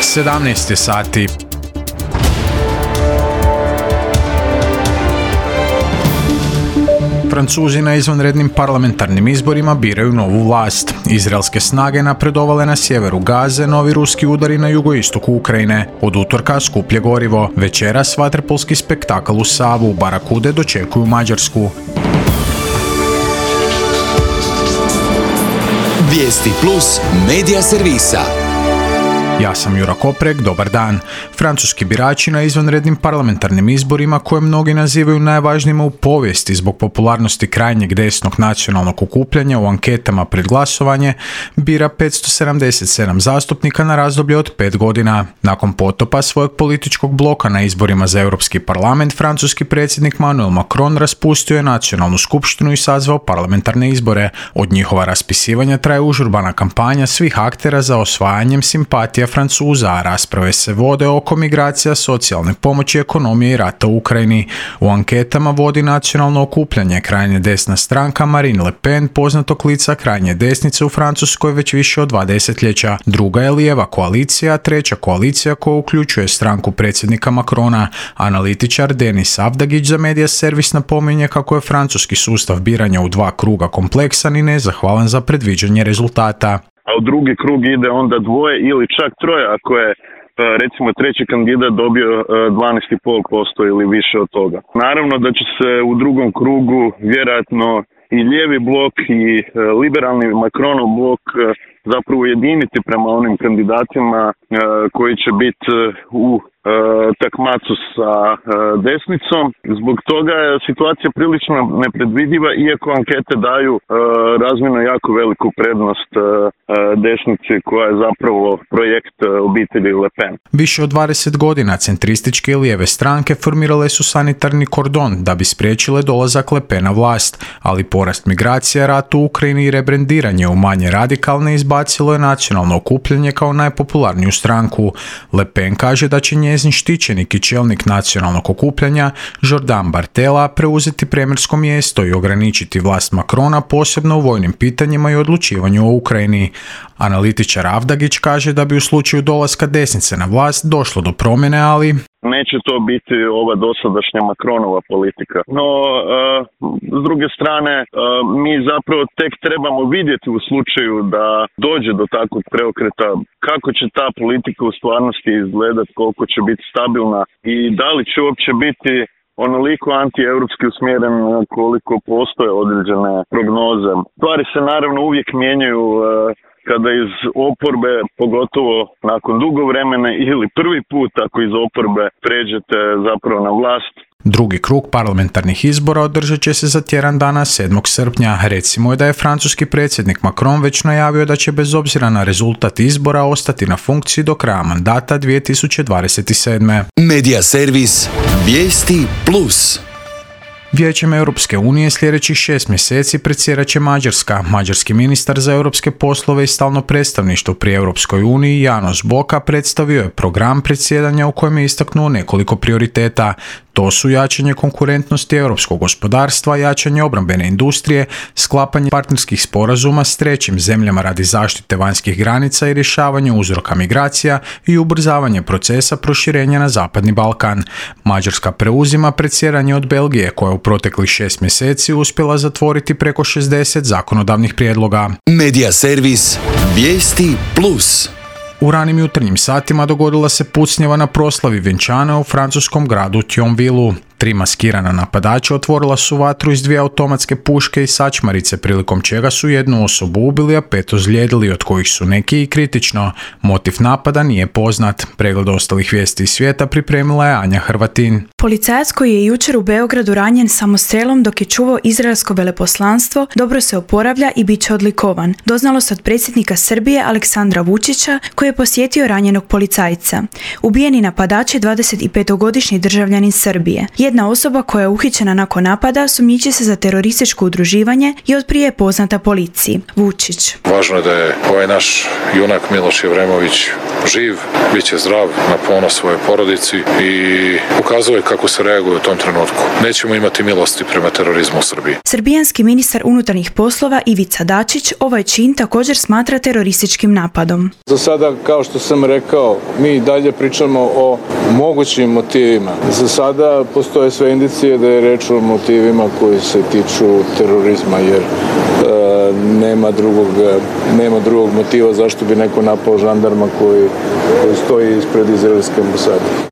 17 je sati. Francuzi na izvanrednim parlamentarnim izborima biraju novu vlast. Izraelske snage napredovale na sjeveru Gaze, novi ruski udari na jugoistoku Ukrajine. Od utorka skuplje gorivo. Večeras vaterpolski spektakl u Savu. Barakude dočekuju Mađarsku. Vijesti plus medija servisa. Ja sam Jura Koprek, dobar dan. Francuski birači na izvanrednim parlamentarnim izborima, koje mnogi nazivaju najvažnijima u povijesti zbog popularnosti krajnjeg desnog nacionalnog okupljanja u anketama pred glasovanje, bira 577 zastupnika na razdoblje od 5 godina. Nakon potopa svojeg političkog bloka na izborima za Europski parlament, francuski predsjednik Emmanuel Macron raspustio je nacionalnu skupštinu i sazvao parlamentarne izbore. Od njihova raspisivanja traje užurbana kampanja svih aktera za osvajanjem simpatija Francuza, a rasprave se vode oko migracija, socijalne pomoći, ekonomije i rata u Ukrajini. U anketama vodi nacionalno okupljanje, krajnje desna stranka Marine Le Pen, poznatog lica krajnje desnice u Francuskoj već više od 2 desetljeća. Druga je lijeva koalicija, a treća koalicija koja uključuje stranku predsjednika Macrona. Analitičar Denis Avdagić za Medija servis napominje kako je francuski sustav biranja u 2 kruga kompleksan i nezahvalan za predviđanje rezultata. A u drugi krug ide onda 2 ili čak 3 ako je recimo treći kandidat dobio 12,5% ili više od toga. Naravno da će se u drugom krugu vjerojatno i lijevi blok i liberalni Macronov blok zapravo ujediniti prema onim kandidatima koji će biti u takmacu sa desnicom. Zbog toga je situacija prilično nepredvidiva, iako ankete daju razmjerno jako veliku prednost desnici koja je zapravo projekt obitelji Le Pen. Više od 20 godina centrističke i lijeve stranke formirale su sanitarni kordon da bi spriječile dolazak Le Pena vlast, ali porast migracija, rat u Ukrajini i rebrendiranje u manje radikalne izbacilo je nacionalno okupljanje kao najpopularniju stranku. Le Pen kaže da će njezin štićenik i čelnik nacionalnog okupljanja Jordan Bardella preuzeti premijersko mjesto i ograničiti vlast Macrona, posebno u vojnim pitanjima i odlučivanju o Ukrajini. Analitičar Avdagić kaže da bi u slučaju dolaska desnice na vlast došlo do promjene, ali neće to biti ova dosadašnja Macronova politika. No, s druge strane, mi zapravo tek trebamo vidjeti u slučaju da dođe do takvog preokreta kako će ta politika u stvarnosti izgledati, koliko će biti stabilna i da li će uopće biti onoliko antieuropski usmjeren koliko postoje određene prognoze. Stvari se naravno uvijek mijenjaju kada iz oporbe, pogotovo nakon dugo vremena ili prvi put ako iz oporbe pređete zapravo na vlast. Drugi krug parlamentarnih izbora održat će se za tjedan dana 7. srpnja. Recimo je da je francuski predsjednik Macron već najavio da će bez obzira na rezultat izbora ostati na funkciji do kraja mandata 2027. Medija servis Vijesti plus. Vijećem Europske unije sljedećih 6 mjeseci predsjedat će Mađarska. Mađarski ministar za europske poslove i stalno predstavništvo pri Europskoj uniji János Boka predstavio je program predsjedanja u kojem je istaknuo nekoliko prioriteta. To su jačanje konkurentnosti europskog gospodarstva, jačanje obrambene industrije, sklapanje partnerskih sporazuma s trećim zemljama radi zaštite vanjskih granica i rješavanje uzroka migracija i ubrzavanje procesa proširenja na Zapadni Balkan. Mađarska preuzima predsjedanje od Belgije, koja u proteklih 6 mjeseci uspjela zatvoriti preko 60 zakonodavnih prijedloga. Medija servis Vijesti plus. U ranim jutarnjim satima dogodila se pucnjava na proslavi vjenčana u francuskom gradu Thionvillu. 3 maskirana napadača otvorila su vatru iz 2 automatske puške i sačmarice, prilikom čega su 1 osobu ubili, a 5 ozlijedili, od kojih su neki i kritično. Motiv napada nije poznat. Pregled ostalih vijesti iz svijeta pripremila je Anja Hrvatin. Policajac koji je jučer u Beogradu ranjen samostrelom dok je čuvao izraelsko veleposlanstvo dobro se oporavlja i bit će odlikovan. Doznalo se od predsjednika Srbije Aleksandra Vučića, koji je posjetio ranjenog policajca. Ubijeni napadač je 25-godišnji državljanin Srbije. Jedna osoba koja je uhićena nakon napada sumnjiči se za terorističko udruživanje i otprije je poznata policiji. Vučić. Važno je da je ovaj naš junak Miloš Jevremović živ, bit će zdrav, na ponos svoje porodici i ukazuje kako se reaguje u tom trenutku. Nećemo imati milosti prema terorizmu u Srbiji. Srbijanski ministar unutarnjih poslova Ivica Dačić ovaj čin također smatra terorističkim napadom. Za sada, kao što sam rekao, mi dalje pričamo o mogućim motivima. Za sada postoje sve indicije da je reč o motivima koji se tiču terorizma, jer nema drugog motiva zašto bi neko napao žandarma koji stoji ispred izraelske ambasade.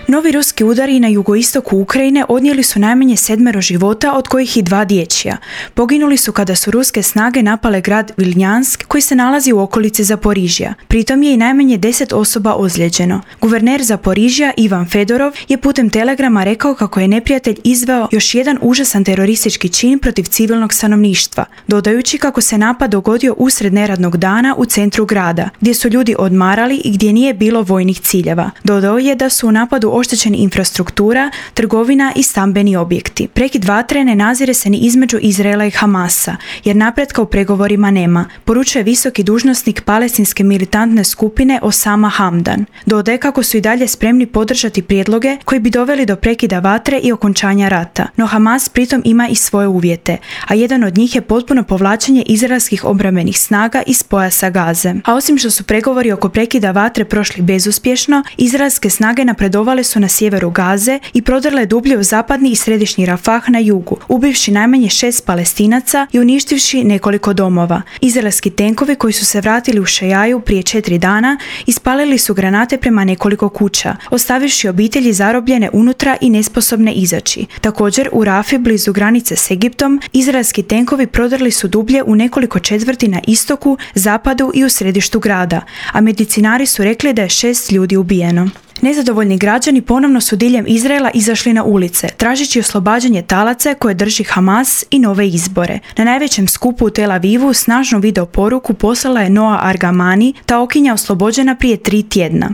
Novi ruski udari na jugoistoku Ukrajine odnijeli su najmanje 7 života, od kojih i 2 dječja. Poginuli su kada su ruske snage napale grad Vilnjansk, koji se nalazi u okolici Zaporižja. Pritom je i najmanje 10 osoba ozlijeđeno. Guverner Zaporižja Ivan Fedorov je putem telegrama rekao kako je neprijatelj izveo još jedan užasan teroristički čin protiv civilnog stanovništva, dodajući kako se napad dogodio usred neradnog dana u centru grada, gdje su ljudi odmarali i gdje nije bilo vojnih ciljeva. Dodao je da su u napadu oštećeni infrastruktura, trgovina i stambeni objekti. Prekid vatre ne nazire se ni između Izraela i Hamasa, jer napretka u pregovorima nema, poručuje visoki dužnosnik palestinske militantne skupine Osama Hamdan. Dodaje kako su i dalje spremni podržati prijedloge koji bi doveli do prekida vatre i okončanja rata. No Hamas pritom ima i svoje uvjete, a jedan od njih je potpuno povlačenje izraelskih obrambenih snaga iz pojasa Gaze. A osim što su pregovori oko prekida vatre prošli bezuspješno, izraelske snage napredovale su na sjeveru Gaze i prodrle dublje u zapadni i središnji Rafah na jugu, ubivši najmanje 6 Palestinaca i uništivši nekoliko domova. Izraelski tenkovi koji su se vratili u Šejaju prije 4 dana ispalili su granate prema nekoliko kuća, ostavivši obitelji zarobljene unutra i nesposobne izaći. Također u Rafi, blizu granice s Egiptom, izraelski tenkovi prodrli su dublje u nekoliko četvrti na istoku, zapadu i u središtu grada, a medicinari su rekli da je 6 ljudi ubijeno. Nezadovoljni građani ponovno su diljem Izraela izašli na ulice, tražeći oslobađanje talaca koje drži Hamas i nove izbore. Na najvećem skupu u Tel Avivu snažnu video poruku poslala je Noa Argamani, taokinja oslobođena prije 3 tjedna.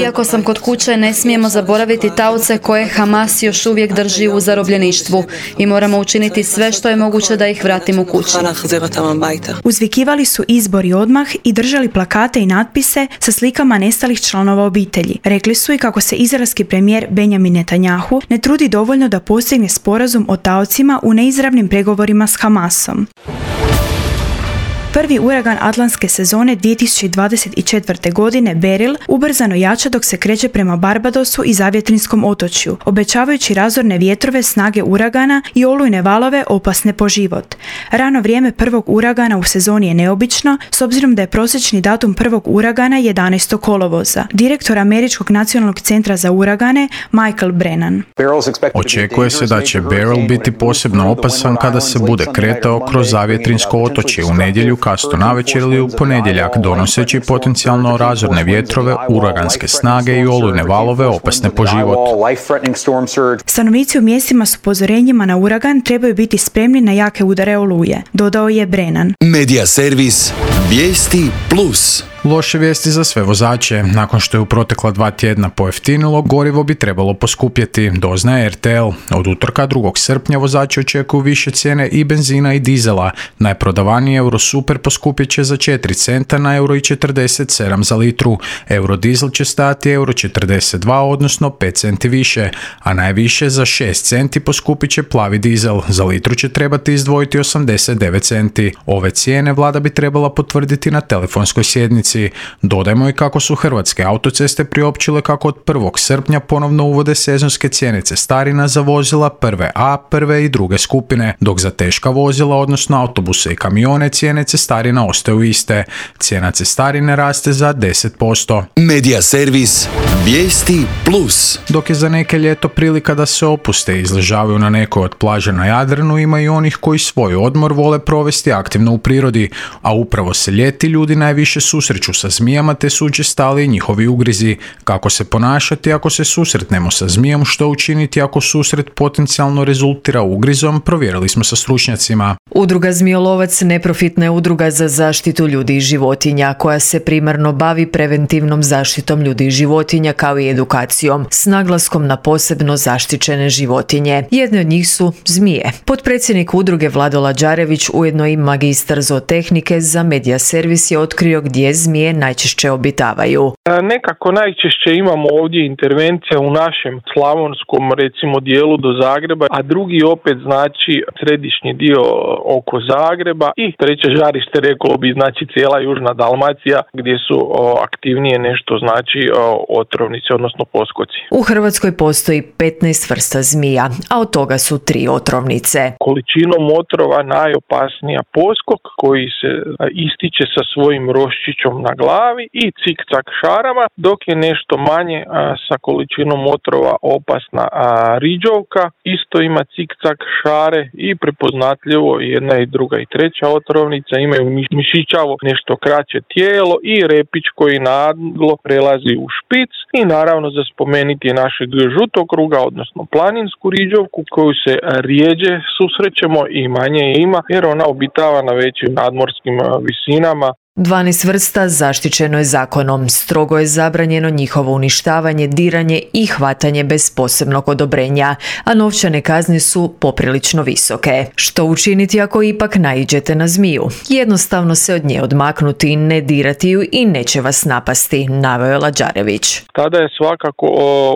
Iako sam kod kuće, ne smijemo zaboraviti taoce koje Hamas još uvijek drži u zarobljeništvu i moramo učiniti sve što je moguće da ih vratimo kući. Uzvikivali su izbori odmah i držali plakate i natpise sa slikama nestalih članova obitelji. Rekli su i kako se izraelski premijer Benjamin Netanjahu ne trudi dovoljno da postigne sporazum o taocima u neizravnim pregovorima s Hamasom. Prvi uragan atlantske sezone 2024. godine, Beryl, ubrzano jača dok se kreće prema Barbadosu i Zavjetrinskom otočju, obećavajući razorne vjetrove snage uragana i olujne valove opasne po život. Rano vrijeme prvog uragana u sezoni je neobično, s obzirom da je prosječni datum prvog uragana 11. kolovoza. Direktor Američkog nacionalnog centra za uragane, Michael Brennan. Očekuje se da će Beryl biti posebno opasan kada se bude kretao kroz Zavjetrinsko otočje u nedjelju kasno navečer ili u ponedjeljak, donoseći potencijalno razorne vjetrove, uraganske snage i olujne valove opasne po život. Stanovnici u mjestima s upozorenjima na uragan trebaju biti spremni na jake udare oluje, dodao je Brennan. Media servis Vijesti Plus. Loše vijesti za sve vozače. Nakon što je u protekla 2 tjedna pojeftinilo, gorivo bi trebalo poskupjeti, doznaje RTL. Od utorka 2. srpnja vozači očekuju više cijene i benzina i dizela. Najprodavaniji Eurosuper poskupjet će za 4 centa na €1,47 za litru. Eurodizel će stajati €1,42, odnosno 5 centi više, a najviše za 6 centi poskupit će plavi dizel. Za litru će trebati izdvojiti 89 centi. Ove cijene vlada bi trebala potvrditi na telefonskoj sjednici. Dodajmo i kako su Hrvatske autoceste priopćile kako od 1. srpnja ponovno uvode sezonske cijene cestarina za vozila prve A, prve i druge skupine, dok za teška vozila, odnosno autobuse i kamione, cijene cestarina ostaju iste. Cijena cestarine raste za 10%. Media servis Vijesti Plus. Dok je za neke ljeto prilika da se opuste i izležavaju na nekoj od plaža na Jadranu, ima i onih koji svoj odmor vole provesti aktivno u prirodi, a upravo se ljeti ljudi najviše susreću susreću sa zmijama te su učestali njihovi ugrizi, kako se ponašati ako se susretnemo sa zmijom, što učiniti ako susret potencijalno rezultira ugrizom, provjerili smo sa stručnjacima. Udruga Zmijolovac neprofitna je udruga za zaštitu ljudi i životinja koja se primarno bavi preventivnom zaštitom ljudi i životinja kao i edukacijom s naglaskom na posebno zaštićene životinje. Jedne od njih su zmije. Potpredsjednik udruge Vlado Lađarević, ujedno i magistar zootehnike za Media Servis, je otkrio gdje zmije najčešće obitavaju. Nekako najčešće imamo ovdje intervencija u našem slavonskom recimo dijelu do Zagreba, a drugi opet znači središnji dio oko Zagreba i treće žarište reklo bi znači cijela južna Dalmacija gdje su aktivnije nešto znači otrovnici odnosno poskoci. U Hrvatskoj postoji 15 vrsta zmija, a od toga su 3 otrovnice. Količinom otrova najopasnija poskok koji se ističe sa svojim roščićom na glavi i cikcak šarama, dok je nešto manje sa količinom otrova opasna riđovka, isto ima cikcak šare i prepoznatljivo jedna i druga i treća otrovnica imaju mišićavo nešto kraće tijelo i repić koji naglo prelazi u špic i naravno za spomenuti je našeg žutokruga, odnosno planinsku riđovku koju se rijeđe susrećemo i manje ima jer ona obitava na većim nadmorskim visinama. 12 vrsta zaštićeno je zakonom, strogo je zabranjeno njihovo uništavanje, diranje i hvatanje bez posebnog odobrenja, a novčane kazne su poprilično visoke. Što učiniti ako ipak naiđete na zmiju? Jednostavno se od nje odmaknuti, ne dirati ju i neće vas napasti, naveo je Lađarević. Tada je svakako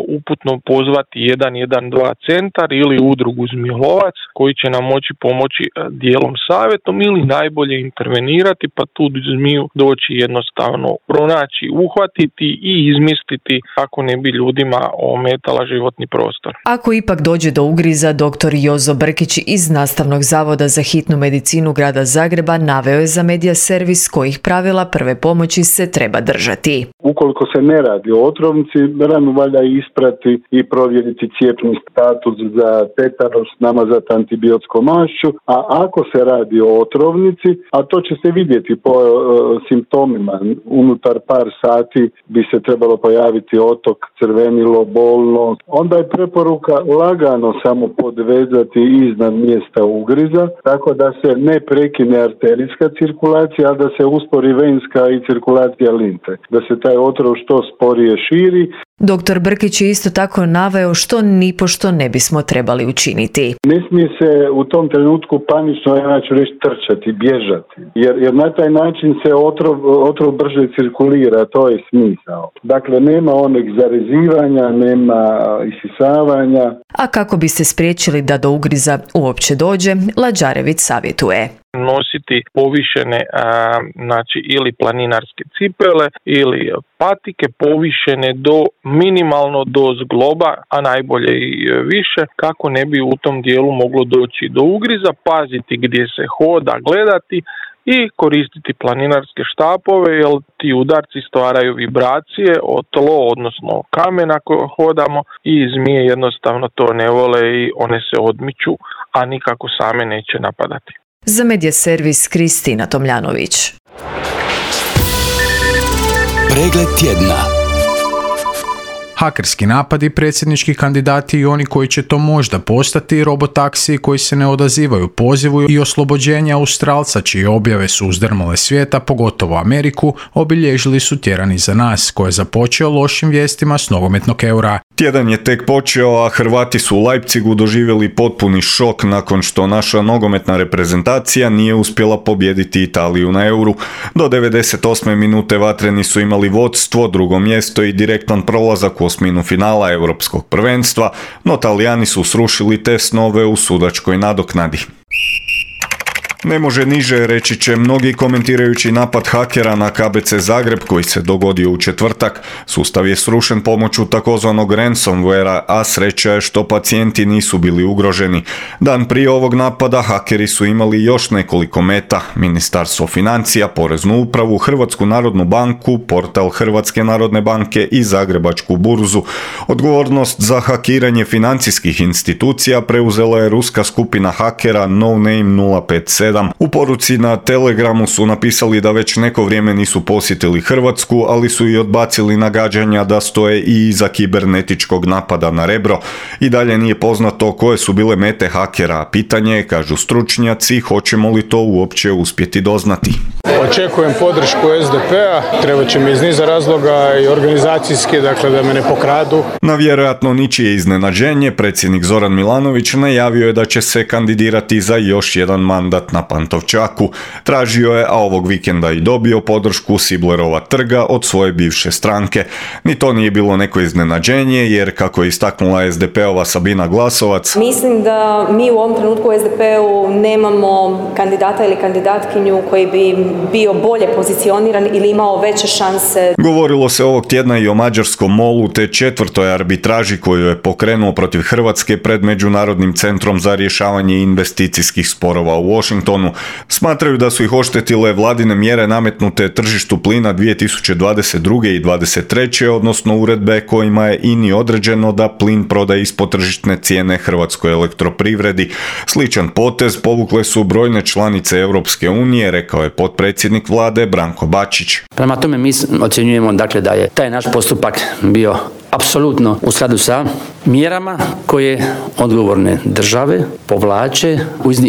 uputno pozvati 112 centar ili udrugu Zmijolovac koji će nam moći pomoći dijelom savjetom ili najbolje intervenirati pa tu zmiju doći jednostavno pronaći, uhvatiti i izmisliti kako ne bi ljudima ometala životni prostor. Ako ipak dođe do ugriza, dr. Jozo Brkić iz Nastavnog zavoda za hitnu medicinu grada Zagreba naveo je za Media Servis kojih pravila prve pomoći se treba držati. Ukoliko se ne radi o otrovnici, ranu valja isprati i provjeriti cijepni status za tetanos, namazati antibiotskom mašću, a ako se radi o otrovnici, a to će se vidjeti po simptomima, unutar par sati bi se trebalo pojaviti otok, crvenilo, bolno, onda je preporuka lagano samo podvezati iznad mjesta ugriza, tako da se ne prekine arterijska cirkulacija, a da se uspori venska i cirkulacija limfe, da se taj otrov što sporije širi. Dr. Brkić je isto tako naveo što nipošto ne bismo trebali učiniti. Ne smije se u tom trenutku panično, ja ću reći, trčati, bježati, jer na taj način se otrov brže cirkulira, to je smisao. Dakle, nema onog zarezivanja, nema isisavanja. A kako biste spriječili da do ugriza uopće dođe, Lađarević savjetuje. Nositi povišene znači ili planinarske cipele ili patike povišene do minimalno do zgloba, a najbolje i više, kako ne bi u tom dijelu moglo doći do ugriza, paziti gdje se hoda, gledati i koristiti planinarske štapove jer ti udarci stvaraju vibracije o tlo, odnosno kamen ako hodamo i zmije jednostavno to ne vole i one se odmiču, a nikako same neće napadati. Za Media Servis Kristina Tomljanović. Pregled tjedna. Hakerski napadi, predsjednički kandidati i oni koji će to možda postati, robotaksiji koji se ne odazivaju pozivu i oslobođenja Australca čije objave su uzdrmale svijeta, pogotovo Ameriku, obilježili su tjedan iza nas, koji je započeo lošim vijestima s nogometnog Eura. Tjedan je tek počeo, a Hrvati su u Leipzigu doživjeli potpuni šok nakon što naša nogometna reprezentacija nije uspjela pobijediti Italiju na Euru. Do 98. minute vatreni su imali vodstvo, drugo mjesto i direktan prolazak u osminu finala Europskog prvenstva, no Talijani su srušili te snove u sudačkoj nadoknadi. Ne može niže, reći će mnogi komentirajući napad hakera na KBC Zagreb koji se dogodio u četvrtak. Sustav je srušen pomoću takozvanog ransomwarea, a sreća je što pacijenti nisu bili ugroženi. Dan prije ovog napada hakeri su imali još nekoliko meta: Ministarstvo financija, Poreznu upravu, Hrvatsku narodnu banku, portal Hrvatske narodne banke i Zagrebačku burzu. Odgovornost za hakiranje financijskih institucija preuzela je ruska skupina hakera No Name 057 7. U poruci na Telegramu su napisali da već neko vrijeme nisu posjetili Hrvatsku, ali su i odbacili nagađanja da stoje i iza kibernetičkog napada na Rebro. I dalje nije poznato koje su bile mete hakera. Pitanje je, kažu stručnjaci, hoćemo li to uopće uspjeti doznati. Očekujem podršku SDP-a, treba će mi iz niza razloga i organizacijski, dakle da me ne pokradu. Na vjerojatno ničije iznenađenje, predsjednik Zoran Milanović najavio je da će se kandidirati za još jedan mandat na Pantovčaku. Tražio je, a ovog vikenda i dobio podršku Siblerova trga od svoje bivše stranke. Ni to nije bilo neko iznenađenje, jer kako je istaknula SDP-ova Sabina Glasovac, mislim da mi u ovom trenutku u SDP-u nemamo kandidata ili kandidatkinju koji bi bio bolje pozicioniran ili imao veće šanse. Govorilo se ovog tjedna i o mađarskom MOL-u te 4. arbitraži koju je pokrenuo protiv Hrvatske pred Međunarodnim centrom za rješavanje investicijskih sporova u Washingtonu. Smatraju da su ih oštetile vladine mjere nametnute tržištu plina 2022. i 2023. odnosno uredbe kojima je INI određeno da plin prodaje ispod tržišne cijene Hrvatskoj elektroprivredi. Sličan potez povukle su brojne članice Europske unije, rekao je potpredsjednik vlade Branko Bačić. Prema tome mi ocjenjujemo dakle da je taj naš postupak bio apsolutno u skladu sa mjerama koje odgovorne države povlače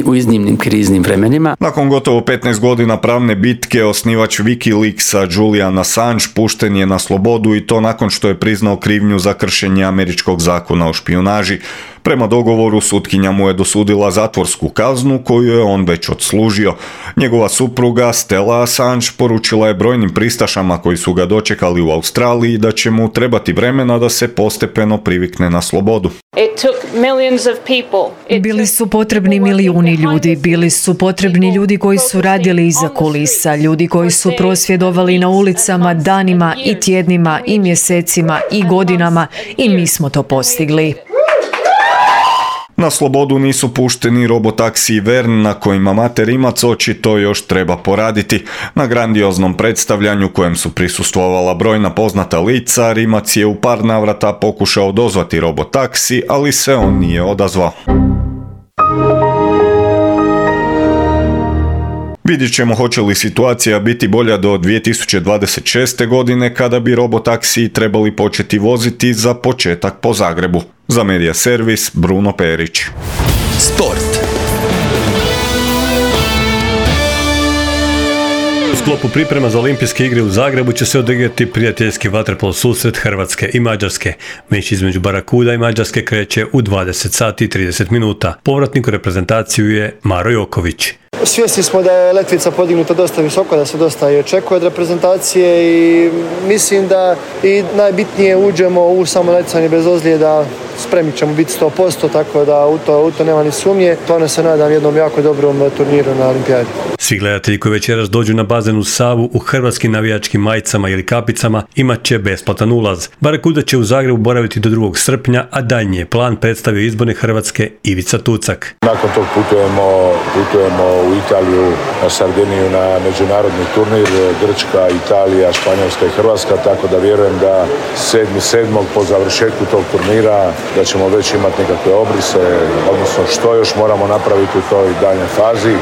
u iznimnim kriznim vremenima. Nakon gotovo 15 godina pravne bitke, osnivač Wikileaksa Julian Assange pušten je na slobodu i to nakon što je priznao krivnju za kršenje američkog zakona o špijunaži. Prema dogovoru sutkinja mu je dosudila zatvorsku kaznu koju je on već odslužio. Njegova supruga Stella Assange poručila je brojnim pristašama koji su ga dočekali u Australiji da će mu trebati vremena da se postepeno privikne na slobodu. Bili su potrebni milijuni ljudi, bili su potrebni ljudi koji su radili iza kulisa, ljudi koji su prosvjedovali na ulicama danima i tjednima i mjesecima i godinama i mi smo to postigli. Na slobodu nisu pušteni robotaksi Vern na kojima Mate Rimac očito još treba poraditi. Na grandioznom predstavljanju kojem su prisustvovala brojna poznata lica, Rimac je u par navrata pokušao dozvati robotaksi, ali se on nije odazvao. Vidjet ćemo hoće li situacija biti bolja do 2026. godine kada bi robotaksiji trebali početi voziti za početak po Zagrebu. Za Medija Servis, Bruno Perić. Sport. U sklopu priprema za olimpijske igre u Zagrebu će se odigrati prijateljski vaterpolo susret Hrvatske i Mađarske. Meč između Barakuda i Mađarske kreće u 20 sati i 30 minuta. Povratnik u reprezentaciju je Maro Joković. Svjesni smo da je letvica podignuta dosta visoko, da se dosta i očekuje od reprezentacije i mislim da i najbitnije uđemo u samo natjecanje bez ozljeda, spremni ćemo biti 100%, tako da u to nema ni sumnje. Stvarno se nadam jednom jako dobrom turniru na olimpijadi. Svi gledatelji koji večeras dođu na bazen u Savu u hrvatskim navijačkim majicama ili kapicama imat će besplatan ulaz. Barakuda će u Zagrebu boraviti do 2. srpnja, a daljnji je plan predstavio izborne Hrvatske Ivica Tucak. Nakon tog putujemo u Italiju, na Sardiniju, na međunarodni turnir, Grčka, Italija, Španjolska i Hrvatska, tako da vjerujem da 7.7. po završetku tog turnira da ćemo već imati nekakve obrise, odnosno što još moramo napraviti u toj daljnjoj fazi.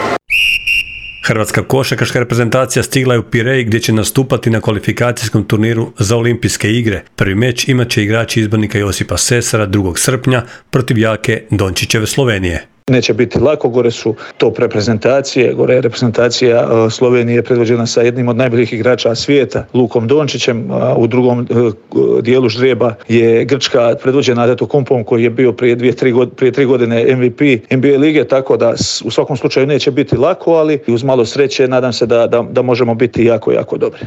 Hrvatska košarkaška reprezentacija stigla je u Pirej gdje će nastupati na kvalifikacijskom turniru za olimpijske igre. Prvi meč imat će igrači izbornika Josipa Sesara 2. srpnja protiv jake Dončićeve Slovenije. Neće biti lako, gore su top reprezentacije, gore je reprezentacija Slovenije predvođena sa jednim od najboljih igrača svijeta, Lukom Dončićem, a u drugom dijelu ždrijeba je Grčka predvođena Antetokounmpom koji je bio prije 3 godine MVP NBA lige, tako da u svakom slučaju neće biti lako, ali uz malo sreće nadam se da možemo biti jako, jako dobri.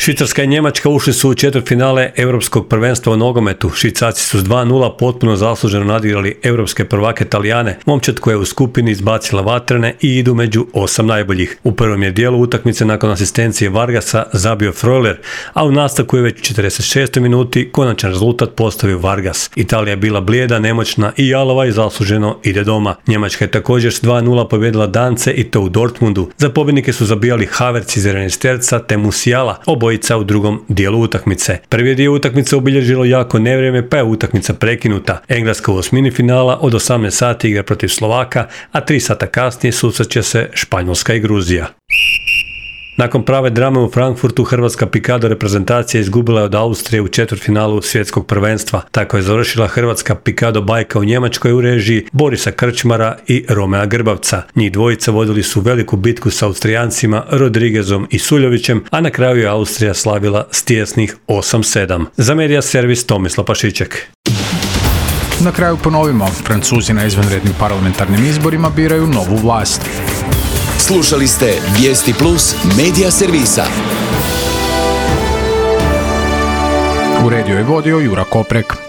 Švicarska i Njemačka ušli su u četvrtfinale Europskog prvenstva u nogometu. Švicarci su s 2:0 potpuno zasluženo nadigrali europske prvake Talijane, momčad koja je u skupini izbacila vatrene i idu među 8 najboljih. U prvom je dijelu utakmice nakon asistencije Vargasa zabio Freuler, a u nastavku je već u 46. minuti konačan rezultat postavio Vargas. Italija je bila blijeda, nemoćna i jalova i zasluženo ide doma. Njemačka je također s 2:0 pobjedila Dance i to u Dortmundu. Za pobjednike su zabijali Havertz iz 11 te Musiala. Oboje dvojica u drugom dijelu utakmice. Prvi dio utakmice obilježilo jako nevrijeme, pa je utakmica prekinuta. Engleska u osmini finala od 18 sati igra protiv Slovaka, a 3 sata kasnije susreće se Španjolska i Gruzija. Nakon prave drame u Frankfurtu, hrvatska pikado reprezentacija izgubila je od Austrije u četvrtfinalu svjetskog prvenstva. Tako je završila hrvatska pikado bajka u Njemačkoj u režiji Borisa Krčmara i Romea Grbavca. Njih dvojica vodili su veliku bitku s Austrijancima Rodriguezom i Suljovićem, a na kraju je Austrija slavila s tijesnih 8-7. Za Medija Servis Tomislav Pašiček. Na kraju ponovimo, Francuzi na izvanrednim parlamentarnim izborima biraju novu vlast. Slušali ste Vijesti Plus Medija Servisa. Uredio je vodio Jura Koprek.